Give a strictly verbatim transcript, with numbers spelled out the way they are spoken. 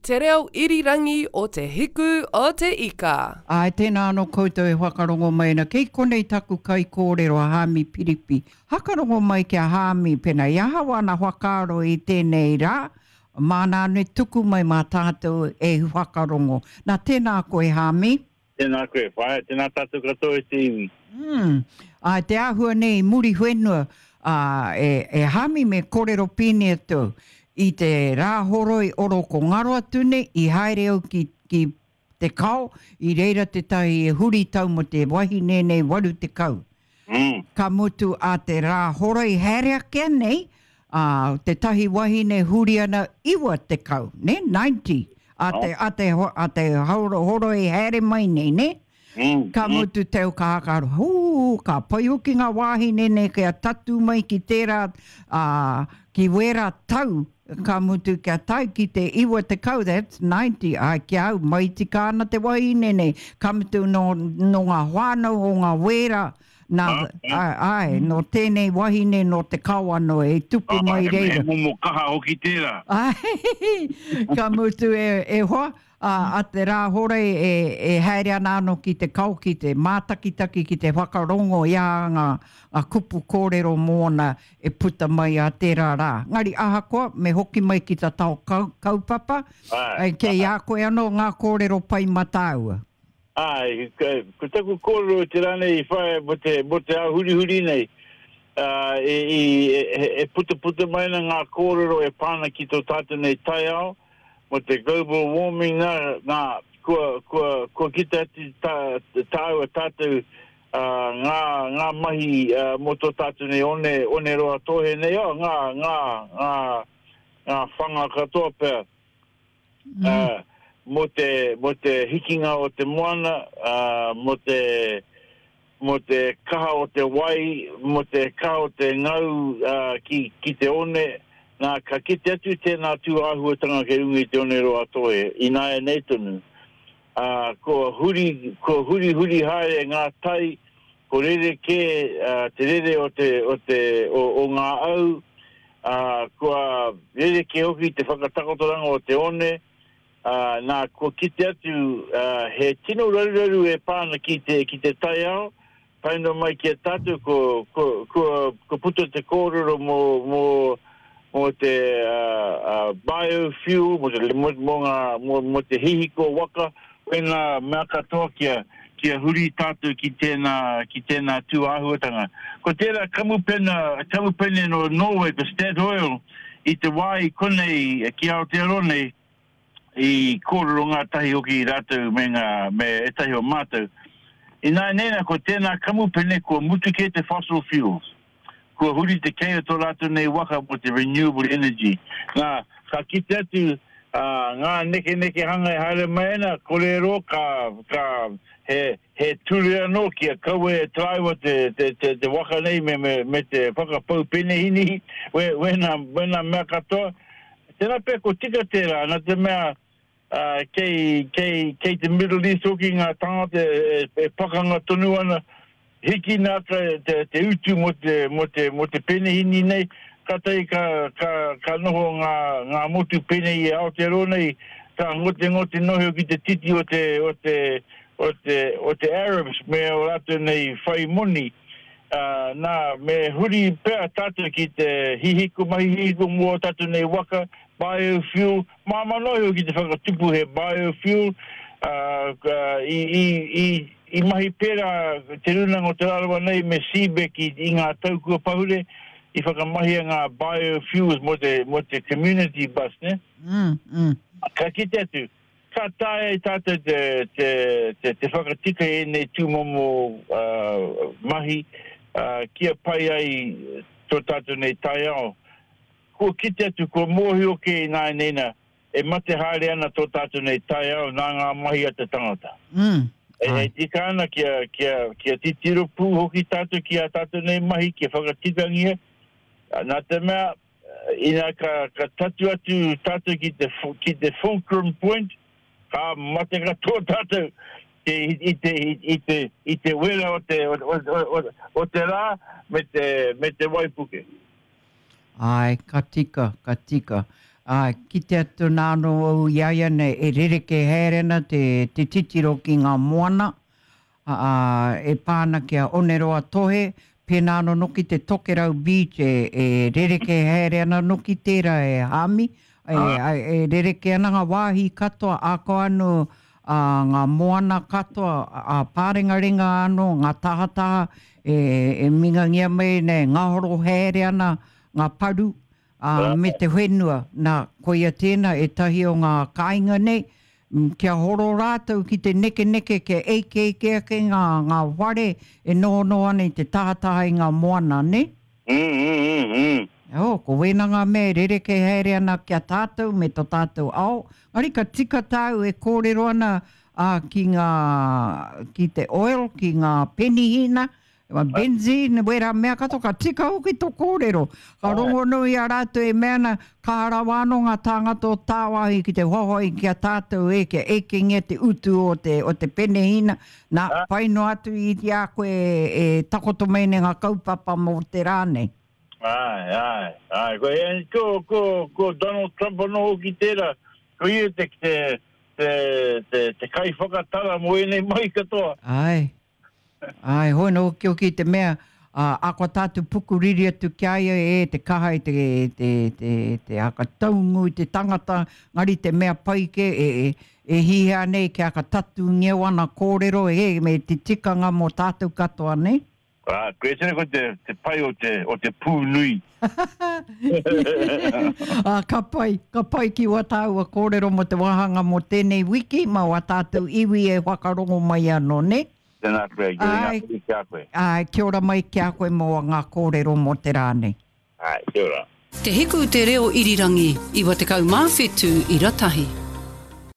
Te reo irirangi o Te Hiku o Te Ika. Āe, tēnā anō koutou e whakarongo mai ana. Kei konei taku kaikōrero a Haami Piripi. Hakarongo mai ki a Haami, pēnā i ahau ana whakaaro i tēnei rā, māna anō e tuku mai mā tātou e whakarongo. Nā, tēnā koe Haami. Tēnā koe, whaea, tēnā tātou katoa e te iwi. Mm. Āe, te āhua nei i Muriwhenua, ā, e, e Haami me kōrero pēnei atu au. I te Rāhoroi oro ko ngaro atu nei, i haere au ki, ki Te Kao, i reira tētahi huri tau mō te wahine nei waru tekau. Mm. Ka mutu a te Rāhoroi haere ake nei, ā, tētahi wahine huri ana iwa tekau, ne, ninety, a te, a te, a te horoi haere mai nei, ne? Mm, Ka mm. mutu te au ka haka, hū, ka pai hoki ngā wāhine nei kia tatū mai ki tērā, ā, ki wērā tau, ka mutu kia tae ki te iwa tekau, that's ninety, āe, ki a au, mai tika ana te wahine nei, ka mutu nō, nō ngā whānau o ngā wērā, nā, āe, āe, nō tēnei wahine nō te kao anō e tupu mai He reira. momo kaha hoki tērā. Āe, ka mutu e, e hoa, ā, a te Rāhorei e, e haere ana anō ki te kao, ki te mātakitaki, ki te whakarongo i a ngā, ngā kupu kōrero mōna e puta mai a tērā rā. Ngari ahakoa, me hoki mai ki ta tao kau, kaupapa, Āe, kei a koe anō ngā kōrero pai mā tāua. Āe, ko taku kōrero i te rā nei i whai mō te, mō te ao hurihuri nei, ā, e, i, e, e putaputa mai ana ngā kōrero e pā ana ki tō tātou nei taiao, mō te global warming nā, nā, kua, kua, kua kite atu tā, tāua tātou ā, ngā, ngā mahi ā, mō tō tātou nei one, one roa tōhe nei, oh, ngā, ngā, ngā, ngā whanga katoa pea, mm. ā, mō te, mō te hikinga o te moana, ā, mō te, mō te kaha o te wai, mō te kaha o te ngau ā, ki, ki te one, nā, ka kite atu tēnā tū āhuatanga kei runga i te one roa tōhe, ināianei tonu. Ā, kua huri, kua hurihuri haere ngā tai, ko rerekē ā, te rere o te, o te, o, o ngā au, ā, kua rerekē hoki te whakatakotoranga o te one, ā, nā, kua kite atu ā, he tino raruraru e pā ana ki te, ki te taiao, tae noa mai ki a tātou, ko, ko, kua, kua puta te kōrero mō, mō, mō te uh, uh, biofuel, mō te, mō, mō ngā, mō, mō te hihiko waka, wēnā mea katoa kia, kia huri tātou ki tēnā, ki tēnā tū āhuatanga. Ko tērā kamupena, kamupene no Norway, ko Statoil, i te wā i konei ki Aotearoa nei, i kōrero ngātahi hoki rātou me ngā, me ētahi o mātou. Ināianei nā, ko tēnā kamupene kua mutu kē te fossil fuels. Kua huri te kei o tō rātou nei waka mō te renewable energy. Nā, ka kite atu ā, ngā nekenekehanga e haere mai ana, kore e roa ka, ka, he, he ture anō kia kaua e taraiwa te, te, te, te waka nei me, me, me te whakapau penehinihi, we, wēnā, wēnā mea katoa. Tērā pea ko tika tērā, nā te mea, ā, kei, kei, kei te Middle East hoki ngā tāngata e, e, e pakanga tonu ana, hikina ake te, te utu mō te, mō te, mō te penehini nei, kātahi ka, ka, ka noho ngā, ngā motu pēnei i Aotearoa nei, ka ngotengote noho ki te titi o te, o te, o te, o te Arabs me ō rātou nei whai moni. Ā, nā, me huri pea tātou ki te hihiko, mahi hihiko mō ō tātou nei waka, biofuel, māmā noa iho ki te whakatupu he biofuel, ā, i, i, i, i mahi pērā Te Rūnanga o Te Rarawa nei me CBEC i, i ngā tau kua pahure, i whakamahia ngā biofuels mō te, mō te community bus, nē? Mm, mm. Ka kite atu, Ka taea e tātou te, te, te, te whakatika i ēnei tūmomo uh, mahi uh, kia pai ai tō tātou nei taiao. Kua kite atu, kua mōhio kē ināianei nā, e mate haere ana tō tātou nei taiao nā ngā mahi a te tangata. Mm. E, e tika ana kia, kia, kia titiro pū hoki tātou ki ā tātou nei mahi, kia whakatikangia, nā te mea, ina ka, ka tatu atu tātou ki te, ki te fulcrum point, ka mate katoa tātou te, i, te, i, te, i te wera o te, o, o, o, o te rā me te, me te waipuke. Āe, ka tika, ka tika. Ā, kite atu nā anō au i a ia nei e rerekē haere ana te, te titiro ki ngā moana, ā, e pā ana ki a Oneroa Tohe, pēnā anō noki te Tokerau Beach e, e rerekē haere ana noki tērā e Hāmi, e, e rerekē ana ngā wāhi katoa, āko anō ā, ngā moana katoa, ā, pārengarenga anō, ngā tahataha e, e mingangia mai nei, ngahoro haere ana ngā paru, ā, me te whenua. Nā, koia tēnā ētahi o ngā kāinga nei, kia horo rātou ki te nekeneke, kia eikeike ake ngā, ngā whare e nohonoho ana i te tahataha i ngā moana, nē? Mm, mm, mm, mm. Oh, ko wēnā ngā mea e rerekē haere ana ki a tātou me tō tātou ao. Engari ka tika tāu e kōrero ana ā, ki ngā, ki te oil, ki ngā penihīna, benzene, wērā mea katoa, ka tika hoki tō kōrero. Ka rongonui a rātou e mea ana, kaha rawa anō ngā tāngata o tāwāhi ki te hoahoa ki a tātou e, kia ekengia te utu o te, o te penehīna. Nā, pai noa atu i a koe e takoto mai nei ngā kaupapa mō te rā nei. Āe, āe, āe. Ko, e, ko, ko, ko Donald Trump anō hoki tērā, ko ia te, te, te, te, te kaiwhakatara mō ēnei mahi katoa. Āe. Āe, hoi nō hoki hoki te mea, ā, ako tātou pukuriri atu ki a ia e te kaha i te, te, te, te hakataungu i te tangata, ngari te mea pai ke, e, e, e hihia nei kia whakatatūngia wana kōrero e, me te tikanga mō tātou katoa, nei? Ā, koe tēnei ko te, te pai o te, o te pū nui. Ā, ka pai, ka pai ki wā tāua kōrero mō te wāhanga mō tēnei wiki, mā wā tātou iwi e whakarongo mai anō, nē? Tēnā koe, kia ora mai ki a koe. Āe, kia ora mai ki a koe mō ngā kōrero mō te rā nei. Āe, kia ora. Te Hiku Te Reo Irirangi, iwa tekau mā whetū ira tahi.